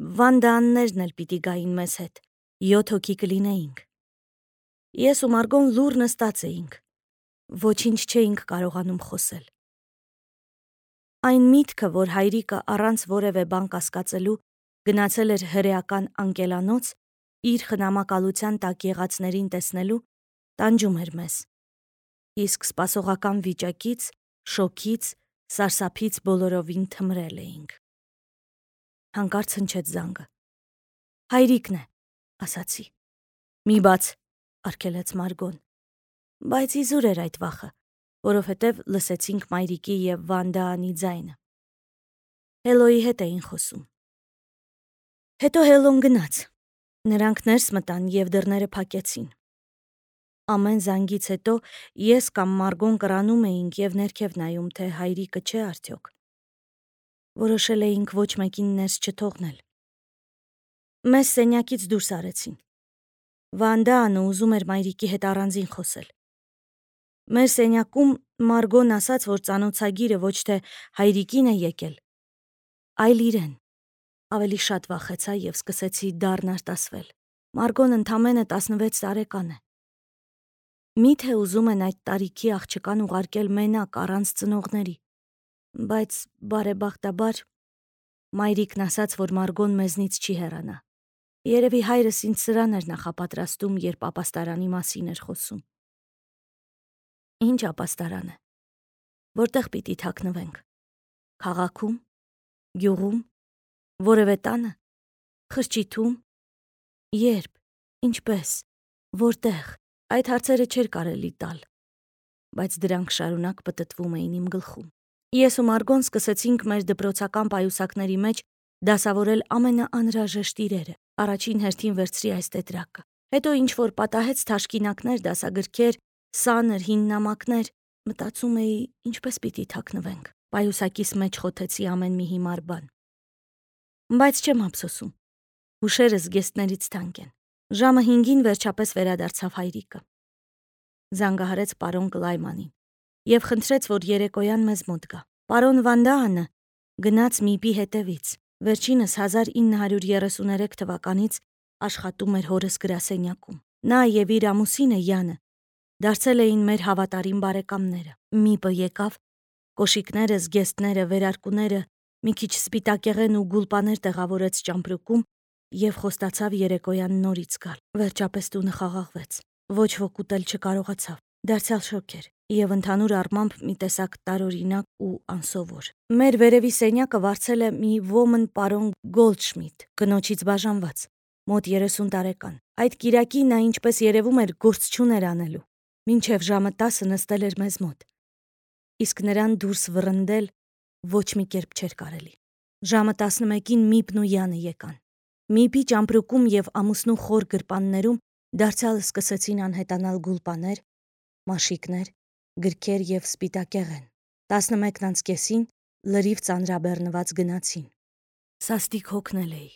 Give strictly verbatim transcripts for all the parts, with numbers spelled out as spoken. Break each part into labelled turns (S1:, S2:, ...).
S1: Վանդաաններն էլ պիտի գային մեզ հետ, յոթ հոգի կլինեինք։ Ես ու Մարգոն լուռ նստած էինք, ոչինչ չէինք կարողանում խոսել։ Այն միտքը, որ հայրիկը առանց որևէ բան կասկածելու գնացել էր հրեական անկելանոց, իր խնամակալության տակ եղածներին տեսնելու, տանջում էր մեզ։ Իսկ սպասողական վիճակից, շոքից, սարսափից բոլորովին թմրել էինք։ Հանկարծ հնչեց զանգը։ Հայրիկն է, ասացի։ Մի բաց, արգելեց Մարգոն։ Բայց իզուր էր այդ վախը, որովհետև լսեցինք մայրիկի և Վանդաանի ձայնը։ Հելոյի հետ էին խոսում։ Հետո Հելոն գնաց։ Նրանք ներս մտան և դռները փակեցին։ Ամեն զանգից հետո ես կամ Մարգոն կրանում էինք և ներքև նայում, թե հայրիկը չէ արդյոք։ Որոշել էինք ոչ մեկին ներս չթողնել։ Մեզ սենյակից դուրս արեցին։ Վանդաանը ուզում էր մայրիկի հետ առանձին խոսել։ Մեր սենյակում Մարգոն ասաց, որ ծանոթագիրը ոչ թե հայրիկին է եկել, այլ իրեն։ Ավելի շատ վախեցա և սկսեցի դառն արտասվել։ Մարգոն ընդամենը տասնվեց տարեկան է։ Միթե ուզում են այդ տարիքի աղջկան ուղարկել մենակ առանց ծնողների։ Բայց բարեբախտաբար մայրիկն ասաց, որ Մարգոն մեզնից չի հեռանա։ Երևի հայրս ինձ սրան էր նախապատրաստում, երբ ապաստարանի մասին էր խոսում։ Ինչ ապաստարան է։ Որտեղ պիտի թաքնվենք։ Քաղաքում, գյուղում, որևէ տանը, խրճիթում, երբ, ինչպես, որտեղ, այդ հարցերը չէր կարելի տալ, բայց դրանք շարունակ պտտվում էին իմ գլխում։ Ես ու Մարգոն սկսեցինք մեր դպրոցական պայուսակների մեջ դասավորել ամենաանհրաժեշտ իրերը։ Առաջին հերթին վերցրի այս տետրակը։ Հետո ինչ-որ պատահեց թաշկինակներ, դասագրքեր, սանր հին նամակներ, մտածում էի, ինչպես պիտի թաքնվենք։ Պայուսակիս մեջ խոթեցի ամեն մի հիմար բան։ Բայց չեմ ափսոսում։ Հուշերս զգեստներից թանկ են։ Ժամը հինգին վերջապես վերադարձավ հայրիկը։ Զանգահարեց պարոն Կլայմանին և խնդրեց, որ երեկոյան մեզ մոտ գա։ Պարոն Վանդաանը գնաց Միպի հետևից։ Վերջինս հազար ինը հարյուր երեսուներեք թվականից աշխատում էր հորս գրասենյակում։ Նա և իր ամուսինը Յանը դարձել էին մեր հավատարիմ բարեկամները։ Միպը եկավ, կոշիկները, զգեստները, վերարկուները, մի քիչ սպիտակեղեն ու գուլպաներ տեղավորեց ճամպրուկում և խոստացավ երեկոյան նորից գալ։ Վերջապես տունը խաղաղվեց։ Ոչ ոք ուտել չկարողացավ։ Դարձյալ շոգ էր և ընդհանուր առմամբ մի տեսակ տարօրինակ ու անսովոր։ Մեր վերևի սենյակը վարձել է մի ոմն պարոն Գոլդշմիդ, կնոջից բաժանված, մոտ երեսուն տարեկան։ Այդ կիրակի նա, ինչպես երևում էր, գործ չուներ անելու։ Մինչև ժամը տասը նստել էր մեզ մոտ։ Իսկ նրան դուրս վռնդել ոչ մի կերպ չէր կարելի։ Ժամը տասնմեկին Միպն ու Յանը եկան։ Միպի ճամպրուկում և ամուսնու խոր գրպաններում դարձյալ սկսեցին անհետանալ գուլպաներ, մաշիկներ, գրքեր և սպիտակեղեն։ Տասնմեկն անց կեսին լրիվ ծանրաբեռնված գնացին։ Սաստիկ հոգնել էի։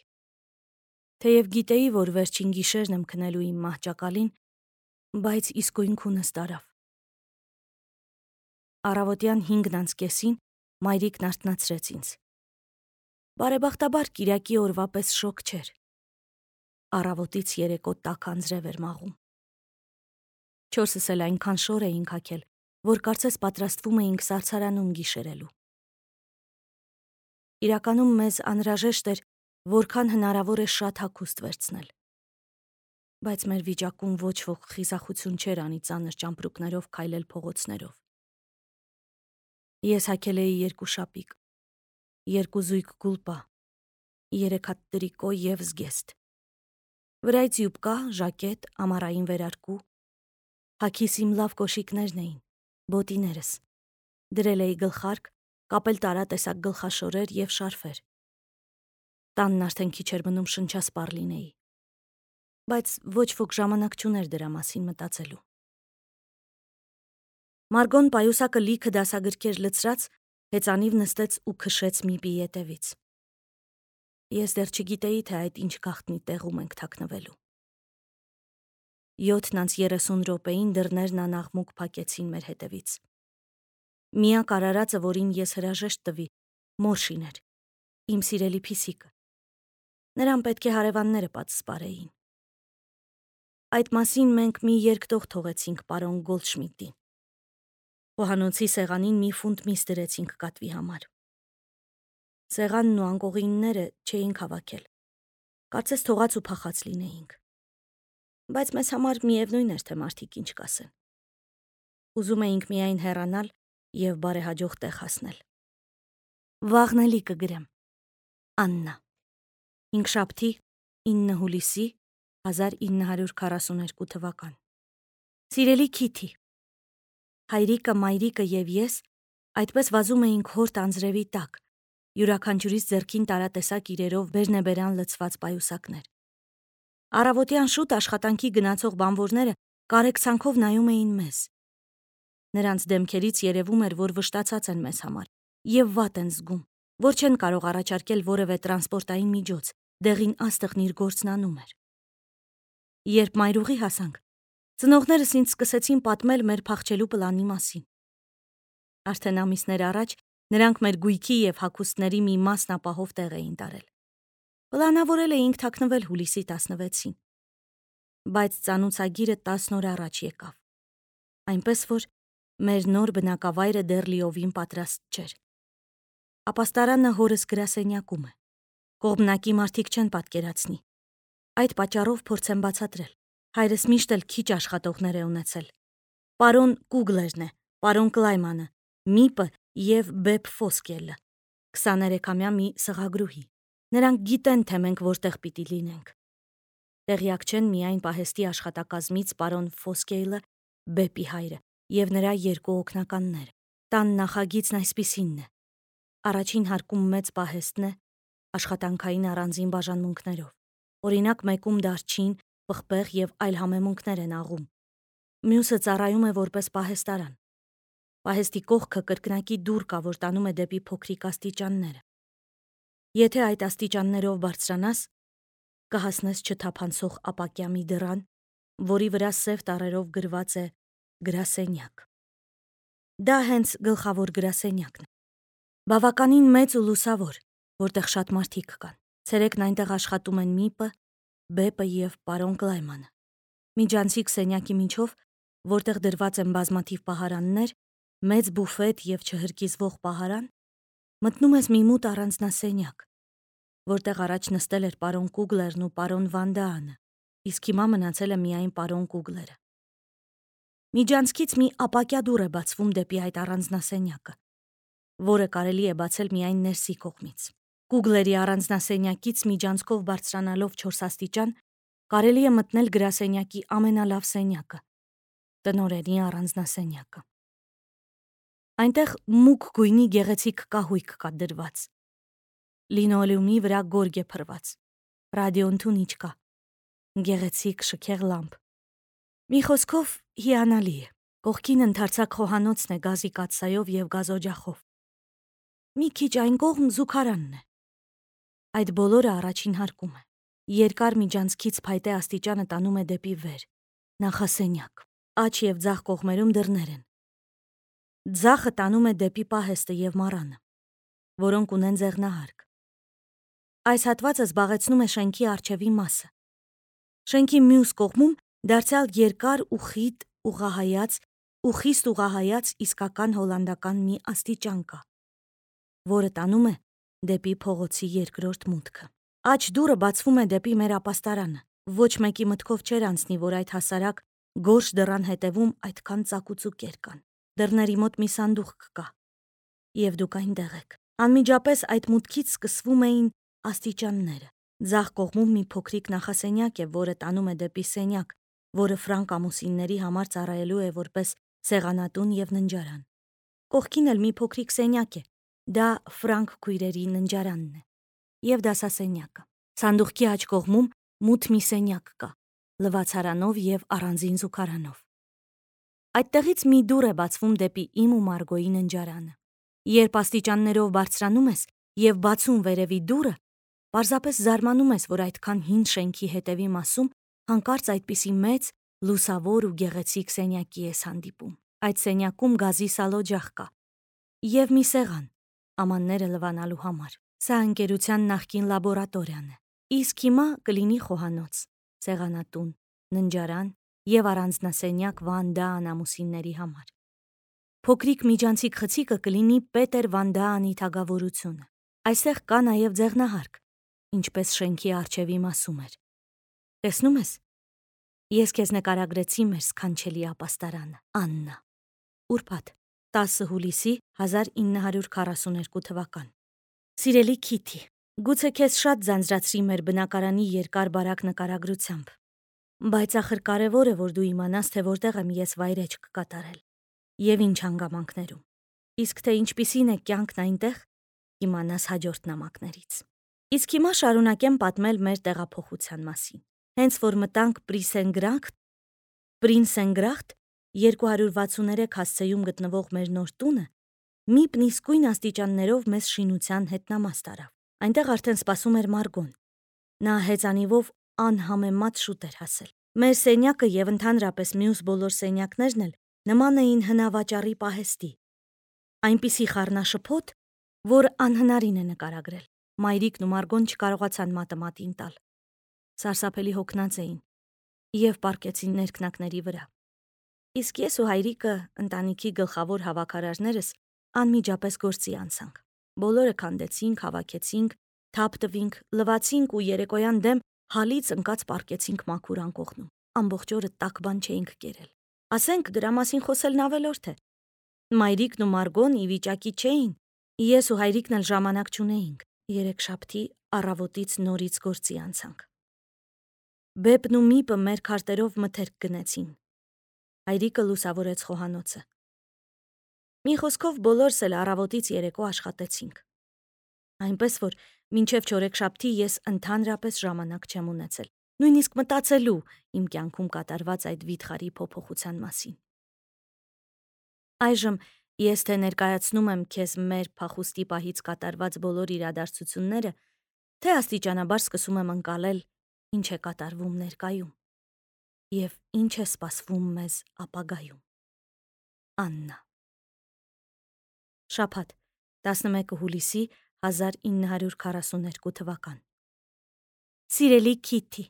S1: Թեև գիտեի, որ վերջին գիշերն եմ քնելու իմ մահճակալին, բայց իսկույն քունս տարավ։ Առավոտյան հինգն անց կեսին մայրիկն արթնացրեց ինձ։ Բարեբախտաբար կիրակի օրվա պես շոգ չէր։ Առավոտից երեկո տաք անձրև էր մաղում։ Չորսս էլ այնքան շոր էինք հագել, որ կարծես պատրաստվում էինք սարսարանում գիշերելու։ Իրականում մեզ անհրաժեշտ էր որքան հնարավոր է շատ հագուստ վերցնել։ Բայց մեր վիճակում ոչ ոք խիզախություն չէր անի ծանր ճամպրուկներով քայլել փողոցներով։ Ես հագել էի երկու շապիկ, երկու զույգ գուլպա, երեք հատ տրիկո և զգեստ, վրայից յուբկա, ժակետ, ամառային վերարկու, հագիս իմ լավ կոշիկներն էին, բոտիներս, դրել էի գլխարկ, կապել տարատեսակ գլխաշորեր և շարֆեր։ Տանն արդեն քիչ էր մնում շնչասպառ լինեի, բայց ոչ ոք ժամանակ չուներ դրա մասին մտածելու։ Մարգոն պայուսակը լիքը դասագրքեր լցրած հեծանիվ նստեց ու քշեց Միպի ետևից։ Ես դեռ չգիտեի, թե այդ ինչ գաղտնի տեղում ենք թաքնվելու։ Յոթն անց երեսուն րոպեին դռներն անաղմուկ փակեցին մեր հետևից։ Միակ արարածը, որին ես հրաժեշտ տվի, Մորշին էր, իմ սիրելի փիսիկը։ Նրան պետք է հարևանները պատսպարեին։ Այդ մասին մենք մի երկտող թողեցինք պարոն Գոլդշմիդտին։ Խոհանոցի սեղանին մի ֆունտ միս դրեցինք կատվի համար։ Սեղանն ու անկողինները չէինք հավաքել։ Կարծես թողած ու փախած լինեինք։ Բայց մեզ համար միևնույն էր, թե մարդիկ ինչ կասեն։ Ուզում էինք միայն հեռանալ եւ բարեհաջող տեղ հասնել։ Վաղն էլի կգրեմ։ Աննա։ Հինգշաբթի ինը հուլիսի հազար ինը հարյուր քառասունութ թվական։ Սիրելի Քիթի, հայրիկը, մայրիկը եւ ես այդպես վազում էինք հորտ անձրևի տակ, յուրաքանչյուրիս ձեռքին տարատեսակ իրերով բերնեբերան լցված պայուսակներ։ Առավոտյան շուտ աշխատանքի գնացող բանվորները կարեկցանքով նայում էին մեզ։ Նրանց դեմքերից երևում էր, որ վշտացած են մեզ համար եւ վատ են զգում, որ չեն կարող առաջարկել որևէ տրանսպորտային միջոց, դեղին աստղն իր գործն անում էր։ Երբ մայրուղի հասանք, ծնողներս ինձ սկսեցին պատմել մեր փախչելու պլանի մասին։ Արդեն ամիսներ առաջ նրանք մեր գույքի եւ հագուստների մի մասն ապահով տեղ էին տարել։ Պլանավորել էինք թաքնվել հուլիսի տասնվեցին։ Բայց ծանուցագիրը տասն օր առաջ եկավ։ Այնպես որ մեր նոր բնակավայրը դեռ լիովին պատրաստ չէր։ Ապաստարանը հորս գրասենյակում է։ Կողմնակի մարդիկ չեն պատկերացնի։ Այդ պատճառով փորձեմ բացատրել։ Հայրս միշտ էլ քիչ աշխատողներ է ունեցել։ Պարոն Կուգլերն է, պարոն Կլայմանը, Միպը եւ Բեփ Ֆոսկելը, քսաներեքամյա մի սղագրուհի։ Նրանք գիտեն, թե մենք որտեղ պիտի լինենք։ Տեղյակ չեն միայն պահեստի աշխատակազմից պարոն Ֆոսկեյլը, Բեփի հայրը եւ նրա երկու օգնականները։ Տան նախագիծն այսպիսինն է. առաջին հարկում մեծ պահեստն է աշխատանքային առանձին բաժանմունքներով։ Օրինակ մեկում դարչին, պղպեղ եւ այլ համեմունքներ են աղում։ Մյուսը ծառայում է որպես պահեստարան։ Պահեստի կողքը կրկնակի դուռ կա, որ տանում է դեպի փոքրիկ աստիճանները։ Եթե այդ աստիճաններով բարձրանաս, կհասնես չթափանցող ապակյա մի դռան, որի վրա սև տառերով գրված է գրասենյակ։ Դա հենց գլխավոր գրասենյակն է։ Բավականին մեծ ու լուսավոր, որտեղ շատ մարդիկ կան։ Ցերեկն այնտեղ աշխատում են Միպը, Բեպը եւ պարոն Կլայմանը։ Միջանցիկ սենյակի միջով, որտեղ դրված են բազմաթիվ պահարաններ, մեծ բուֆետ եւ չհրկիզվող պահարան, մտնում ես մի մութ առանձնասենյակ, որտեղ առաջ նստել էր պարոն Կուգլերն ու պարոն Վանդաանը, իսկ հիմա մնացել է միայն պարոն Կուգլերը։ Միջանցքից մի ապակյա դուռ է բացվում դեպի այդ առանձնասենյակը, որը կարելի է բացել միայն ներսի կողմից։ Կուգլերի առանձնասենյակից միջանցքով բարձրանալով չորս աստիճան կարելի է մտնել գրասենյակի ամենալավ սենյակը՝ տնօրենի առանձնասենյակը։ Այնտեղ մուգ գույնի գեղեցիկ կահույք կա դրված։ Լինոլեումի վրա գորգ է փռված։ Ռադիոն թունիչ կա։ Գեղեցիկ շքեղ լամպ։ Մի խոսքով հիանալի է։ Կողքին ընդարձակ խոհանոցն է գազի կաթսայով եւ գազօջախով։ Մի քիչ այն կողմ զուգարանն է։ Այդ բոլորը առաջին հարկում է։ Երկար միջանցքից փայտե աստիճանը տանում է դեպի վեր։ Նախասենյակ։ Աջ եւ ձախ կողմերում դռներ են։ Ձախը տանում է դեպի պահեստը եւ մառանը, որոնք ունեն ձեղնահարկ։ Այս հատվածը զբաղեցնում է շենքի առջևի մասը։ Շենքի մյուս կողմում դարձյալ երկար ու խիտ ուղղահայաց ու խիստ ուղղահայաց իսկական հոլանդական մի աստիճան կա, որը տանում է դեպի փողոցի երկրորդ մուտքը։ Աջ դուռը բացվում է դեպի մեր ապաստարանը։ Ոչ մեկի մտքով չէր անցնի, որ այդ հասարակ գորշ դռան հետևում այդքան ծակուցուկեր կան։ Դռների մոտ մի սանդուղք կա, եւ դուք այնտեղ եք։ Անմիջապես այդ մուտքից սկսվում էին աստիճանները։ Ձախ կողմում մի փոքրիկ նախասենյակ է, որը տանում է դեպի սենյակ, որը ֆրանկ ամուսինների համար ծառայելու է որպես սեղանատուն եւ ննջարան։ Կողքին էլ մի փոքրիկ սենյակ է։ Դա ֆրանկ քույրերի ննջարանն է եւ դասասենյակը։ Սանդուղքի աջ կողմում մութ մի սենյակ կա, լվացարանով եւ առանձին զուգարանով։ Այդտեղից մի դուռ է բացվում դեպի իմ ու Մարգոյի ննջարանը։ Երբ աստիճաններով բարձրանում ես եւ բացում վերևի դուռը, պարզապես զարմանում ես, որ այդքան հին շենքի հետևի մասում հանկարծ այդպիսի մեծ, լուսավոր ու գեղեցիկ սենյակի ես հանդիպում։ Այդ սենյակում գազի սալօջախ կա եւ մի սեղան, ամանները լվանալու համար։ Սա ընկերության նախկին լաբորատորիան է։ Իսկ հիմա կլինի խոհանոց, սեղանատուն, ննջարան և առանձնասենյակ Վան Դաան ամուսինների համար։ Փոքրիկ միջանցիկ խցիկը կլինի Պետեր Վան Դաանի թագավորությունը։ Այստեղ կա նաև ձեղնահարկ, ինչպես շենքի առջև իմասում էր։ Տեսնում ես, ես քեզ նկարագրեցի մեր սքանչելի ապաստարանը, Աննա։ Ուրբաթ, տասը հուլիսի հազար ինը հարյուր քառասուներկու թվական։ Սիրելի Քիթի, գուցե քեզ շատ ձանձրացրի մեր բնակարանի երկար բարակ նկարագրությամբ, բայց ախր կարևոր է, որ դու իմանաս, թե որտեղ եմ ես վայրեջք կատարել և ինչ հանգամանքներում, իսկ թե ինչպիսին է կյանքն այնտեղ, իմանաս հաջորդ նամակներից։ Իսկ հիմա շարունակեմ պատմել մեր տեղափոխության մասին։ Հենց որ մտանք Պրիսենգրախտ, Պրինսենգրախտ երկու հարյուր վաթսուներեք հասցեում գտնվող մեր նոր տունը մի իսկույն աստիճաններով մեզ շինության հետնամաս տարավ։ Այնտեղ արդեն սպասում էր Մարգոն։ Նա հեծանիվով անհամեմատ շուտ էր հասել։ Մեր սենյակը և ընդհանրապես մյուս բոլոր սենյակներն էլ նման էին հնավաճառի պահեստի, այնպիսի խառնաշփոթ, որ անհնարին է նկարագրել։ Մայրիկն ու Մարգոն չկարողացան մատը մատին տալ։ Սարսափելի հոգնած էին և պառկեցին ներքնակների վրա։ Իսկ ես ու հայրիկը, ընտանիքի գլխավոր հավաքարարներս, անմիջապես գործի անցանք։ Բոլորը քանդեցինք, հավաքեցինք, թափ տվինք, լվացինք ու երեկոյան դեմ հալից ընկած պառկեցինք մաքուր անկողնում։ Ամբողջ օրը տաք բան չէինք կերել։ Ասենք դրա մասին խոսելն ավելորդ է։ Մայրիկն ու Մարգոն ի վիճակի չէին, ես ու հայրիկն էլ ժամանակ չունեինք։ Երեքշաբթի առավոտից նորից գործի անցանք։ Բեպն ու Միպը մեր քարտերով մթերք գնեցին։ Հայրիկը լուսավորեց խոհանոցը։ Մի խոսքով բոլորս էլ առավոտից երեկո աշխատեցինք։ Այնպես որ մինչև չորեքշաբթի ես ընդհանրապես ժամանակ չեմ ունեցել, նույնիսկ մտածելու իմ կյանքում կատարված այդ վիթխարի փոփոխության մասին։ Այժմ ես թե ներկայացնում եմ քեզ մեր փախուստի պահից կատարված բոլոր իրադարձությունները, թե աստիճանաբար սկսում եմ ընկալել, ինչ է կատարվում ներկայում և ինչ է սպասվում մեզ ապագայում։ Աննա։ Շաբաթ, տասնմեկը հուլիսի հազար ինը հարյուր քառասուներկու թվական։ Սիրելի Քիթի,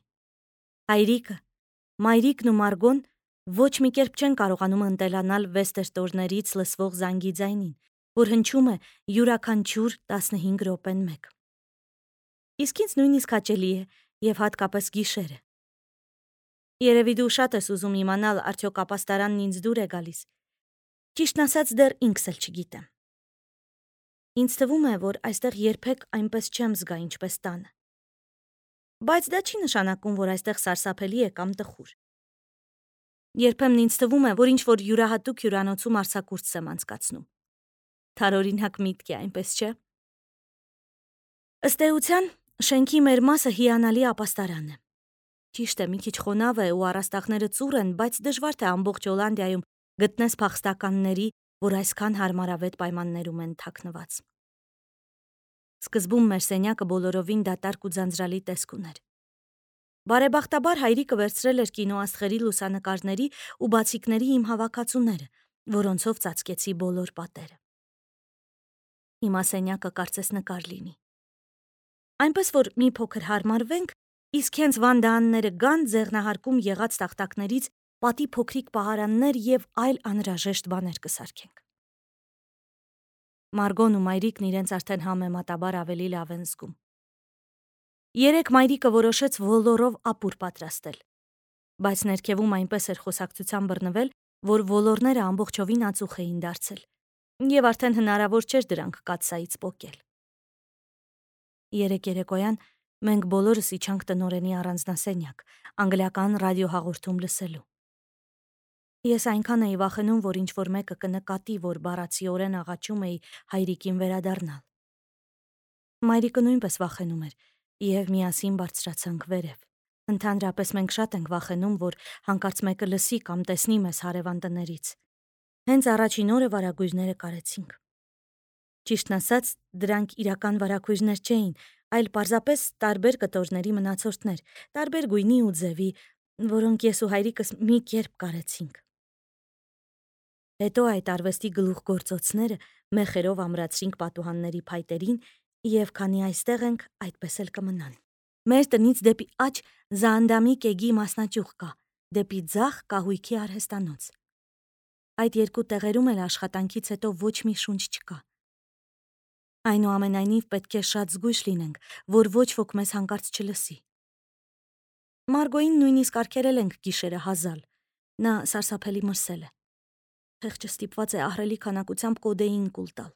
S1: հայրիկը, մայրիկն ու Մարգոն ոչ մի կերպ չեն կարողանում ընտելանալ Վեստերտորներից լսվող զանգի ձայնին, որ հնչում է յուրաքանչյուր տասնհինգ րոպեն մեկ։ Իսկ ինձ նույնիսկ հաճելի է և հատկապես գիշերը։ Երևի դու շատ ես ուզում իմանալ, արդյոք ապաստարանն ինձ դուր է գալիս։ Ճիշտն ասած, դեռ ինքս էլ չգիտեմ։ Ինձ թվում է, որ այստեղ երբեք այնպես չեմ զգա, ինչպես տանը։ Բայց դա չի նշանակում, որ այստեղ սարսափելի է կամ տխուր։ Երբեմն ինձ թվում է, որ ինչ-որ յուրահատուկ հյուրանոցում արձակուրդս եմ անցկացնում։ Թարօրինակ միտք է, այնպես չէ։ Ըստ էության, շենքի մեր մասը հիանալի ապաստարան է։ Ճիշտ է, մի քիչ խոնավ է ու առաստաղները ծուռ են, բայց դժվար թե ամբողջ Հոլանդիայում գտնես փախստականների, որ այսքան հարմարավետ պայմաններում են թաքնված։ Սկզբում մեր սենյակը բոլորովին դատարկ ու ձանձրալի տեսք ուներ։ Բարեբախտաբար հայրիկը վերցրել էր կինոաստղերի լուսանկարների ու բացիկների իմ հավաքածուները, որոնցով ծածկեցի բոլոր պատերը։ Հիմա սենյակը կարծես նկար լինի։ Այնպես որ մի փոքր հարմարվենք, իսկ հենց Վան Դաանները գան, ձեղնահարկում եղած տախտակներից պատի փոքրիկ պահարաններ և այլ անհրաժեշտ բաներ կսարքենք։ Մարգոն ու մայրիկն իրենց արդեն համեմատաբար ավելի լավ են զգում։ Երեկ մայրիկը որոշեց ոլորով ապուր պատրաստել, բայց ներքևում այնպես էր խոսակցության բռնվել, որ ոլորները ամբողջովին ածուխ էին դարձել, և արդեն հնարավոր չէր դրանք կաթսայից պոկել։ Երեկ երեկոյան մենք բոլորս իջանք տնօրենի առանձնասենյակ, անգլիական ռադիոհաղորդում լսելու։ Ես այնքան էի վախենում, որ ինչ-որ մեկը կնկատի, որ բառացիորեն աղաչում էի հայրիկին վերադառնալ։ Մայրիկը նույնպես վախենում էր, և միասին բարձրացանք վերև։ Ընդհանրապես մենք շատ ենք վախենում, որ հանկարծ մեկը լսի կամ տեսնի մեզ հարևան տներից։ Հենց առաջին օրը վարագույրները կարեցինք։ Ճիշտն ասած, դրանք իրական վարագույրներ չէին, այլ պարզապես տարբեր կտորների մնացորդներ, տարբեր գույնի ու ձևի, որոնք ես ու հայրիկս մի կերպ կարեցինք։ Հետո այդ արվեստի գլուխգործոցները մեխերով ամրացրինք պատուհանների փայտերին, և քանի այստեղ ենք, այդպես էլ կմնան։ Մեր տնից դեպի աջ Զանդամի կեգի մասնաճյուղ կա, դեպի ձախ կահույքի արհեստանոց։ Այդ երկու տեղերում էլ աշխատանքից հետո ոչ մի շունչ չկա։ Այնուամենայնիվ պետք է շատ զգույշ լինենք, որ ոչ ոք մեզ հանկարծ չլսի։ Մարգոյին նույնիսկ արգելել ենք գիշերը հազալ, նա սարսափելի մրսել է։ Խեղճը ստիպված է ահռելի քանակությամբ կոդեին կուլ տալ։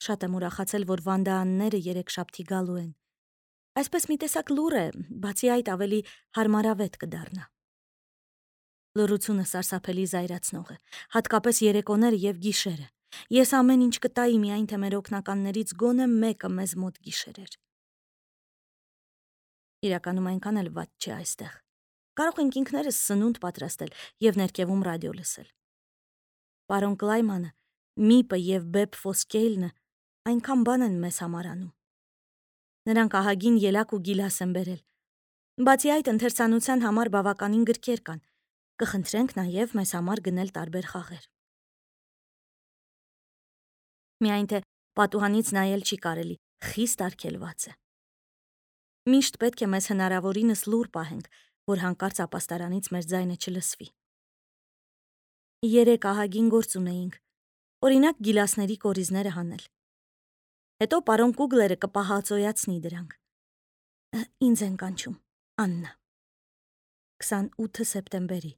S1: Շատ եմ ուրախացել, որ վանդաանները երեքշաբթի գալու են։ Այսպես մի տեսակ լուր է, բացի այդ ավելի հարմարավետ կդառնա։ Լռությունը սարսափելի զայրացնող է, հատկապես երեկոները եւ գիշերը։ Ես ամեն ինչ կտայի, միայն թե մեր օգնականներից գոնե մեկը մեզ մոտ գիշերեր։ Իրականում այնքան էլ վատ չէ այստեղ։ Կարող ենք ինքներս սնունդ պատրաստել եւ ներքևում ռադիո լսել։ Պարոն Կլայմանը, Միպը եւ Բեբ Ֆոսկեյլնը այնքան բան են մեզ համար անում։ Նրանք ահագին ելակ ու գիլաս են բերել։ Բացի այդ, ընթերցանության համար բավականին գրքեր կան։ Կխնդրենք նաեւ մեզ համար գնել տարբեր խաղեր։ Միայն թե պատուհանից նայել չի կարելի, խիստ արգելված է։ Միշտ պետք է մեզ հնարավորինս լուր պահենք, որ հանկարծ ապաստարանից մեր ձայնը չլսվի։ Երեք ահագին գործ ունեինք, օրինակ գիլասների կորիզները հանել։ Հետո պարոն Կուգլերը կպահածոյացնի դրանք։ Ինձ են կանչում, Աննա։ քսանութ սեպտեմբերի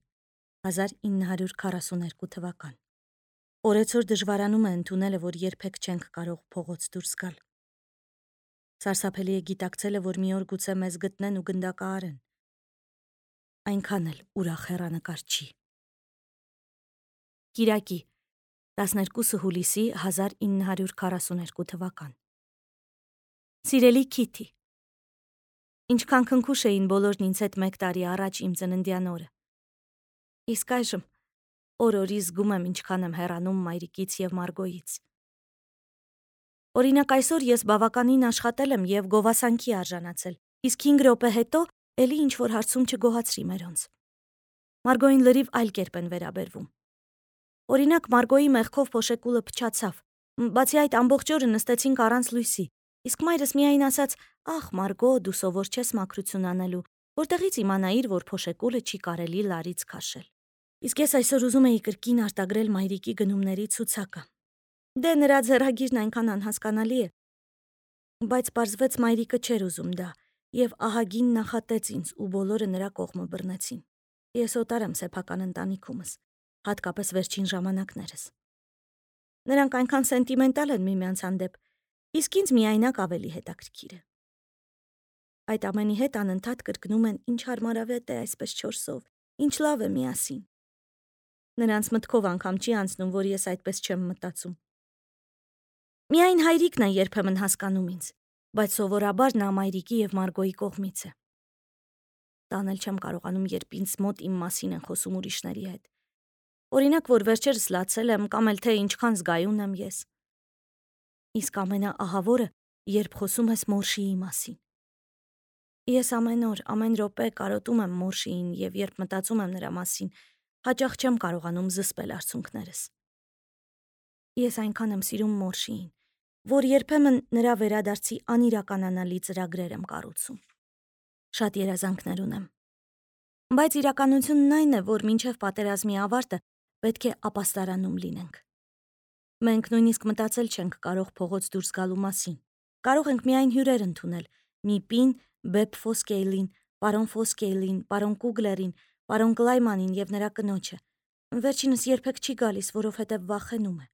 S1: հազար ինը հարյուր քառասուներկու թվական։ Օրեցօր դժվարանում է ընդունելը, որ երբեք չենք կարող փողոց դուրս գալ։ Սարսափելի է գիտակցելը, որ մի օր գուցե մեզ գտնեն ու գնդակահարեն։ Այնքան էլ ուրախ հեռանկար չի։ Կիրակի տասներկուսը հուլիսի հազար ինը հարյուր քառասուներկու թվական։ Սիրելի Քիթի, ինչքան քնքուշ էին բոլորն ինձ հետ մեկ տարի առաջ իմ ծննդյան օրը։ Իսկ այժմ օր-օրի զգում եմ, ինչքան եմ հեռանում մայրիկից եւ Մարգոյից։ Օրինակ այսօր ես բավականին աշխատել եմ եւ գովասանքի արժանացել, իսկ հինգ րոպե հետո էլի ինչ-որ հարցում չգոհացրի մերոնց։ Մարգոյին լրիվ այլ կերպ են վերաբերվում։ Օրինակ Մարգոյի մեղքով փոշեկուլը փչացավ, բացի այդ ամբողջ օրը նստեցինք առանց լույսի, իսկ մայրս միայն ասաց. «Ախ, Մարգո, դու սովոր չես մաքրություն անելու, որտեղից իմանայիր, որ փոշեկուլը չի կարելի լարից քաշել»։ Իսկ ես այսօր ուզում էի կրկին արտագրել մայրիկի գնումների ցուցակը։ Դե նրա ձեռագիրն այնքան անհասկանալի է, բայց պարզվեց մայրիկը չէր ուզում դա, եւ ահագին նախատեց ինձ ու բոլորը նրա կողմը բռնեցին։ Ես օտար եմ սեփական ընտանիքումս, հատկապես վերջին ժամանակներս։ Նրանք այնքան սենտիմենտալ են միմյանց հանդեպ, իսկ ինձ միայնակ ավելի հետաքրքիր է։ Այդ ամենի հետ անընդհատ կրկնում են, ինչ հարմարավետ է այսպես չորսով, ինչ լավ է միասին։ Նրանց մտքով անգամ չի անցնում, որ ես այդպես չեմ մտածում։ Միայն հայրիկն է երբեմն հասկանում ինձ, բայց սովորաբար նա մայրիկի եւ Մարգոյի կողմից է։ Տանել չեմ կարողանում, երբ ինձ մոտ իմ մասին են խոսում ուրիշների հետ։ Օրինակ, որ վերջերս լացել եմ, կամ էլ թե ինչքան զգայուն եմ ես։ Իսկ ամենաահավորը, երբ խոսում ես Մորշիի մասին։ Ես ամեն օր, ամեն րոպե կարոտում եմ Մորշիին եւ երբ մտածում եմ նրա մասին, հաճախ չեմ կարողանում զսպել արցունքներս։ Ես այնքան եմ սիրում Մորշիին, որ երբեմն նրա վերադարձի անիրականանալի ծրագրեր եմ կառուցում։ Շատ երազանքներ ունեմ։ Բայց իրականությունն այն է, որ մինչև պատերազմի ավարտը պետք է ապաստարանում լինենք։ Մենք նույնիսկ մտածել չենք կարող փողոց դուրս գալու մասին։ Կարող ենք միայն հյուրեր ընդունել՝ Միպին, Բեբ Ֆոսկեյլին, պարոն Ֆոսկեյլին, պարոն Կուգլերին, պարոն Կլայմանին եւ նրա կնոջը։ Վերջինս երբեք չի գալիս, որովհետեւ վախենում է։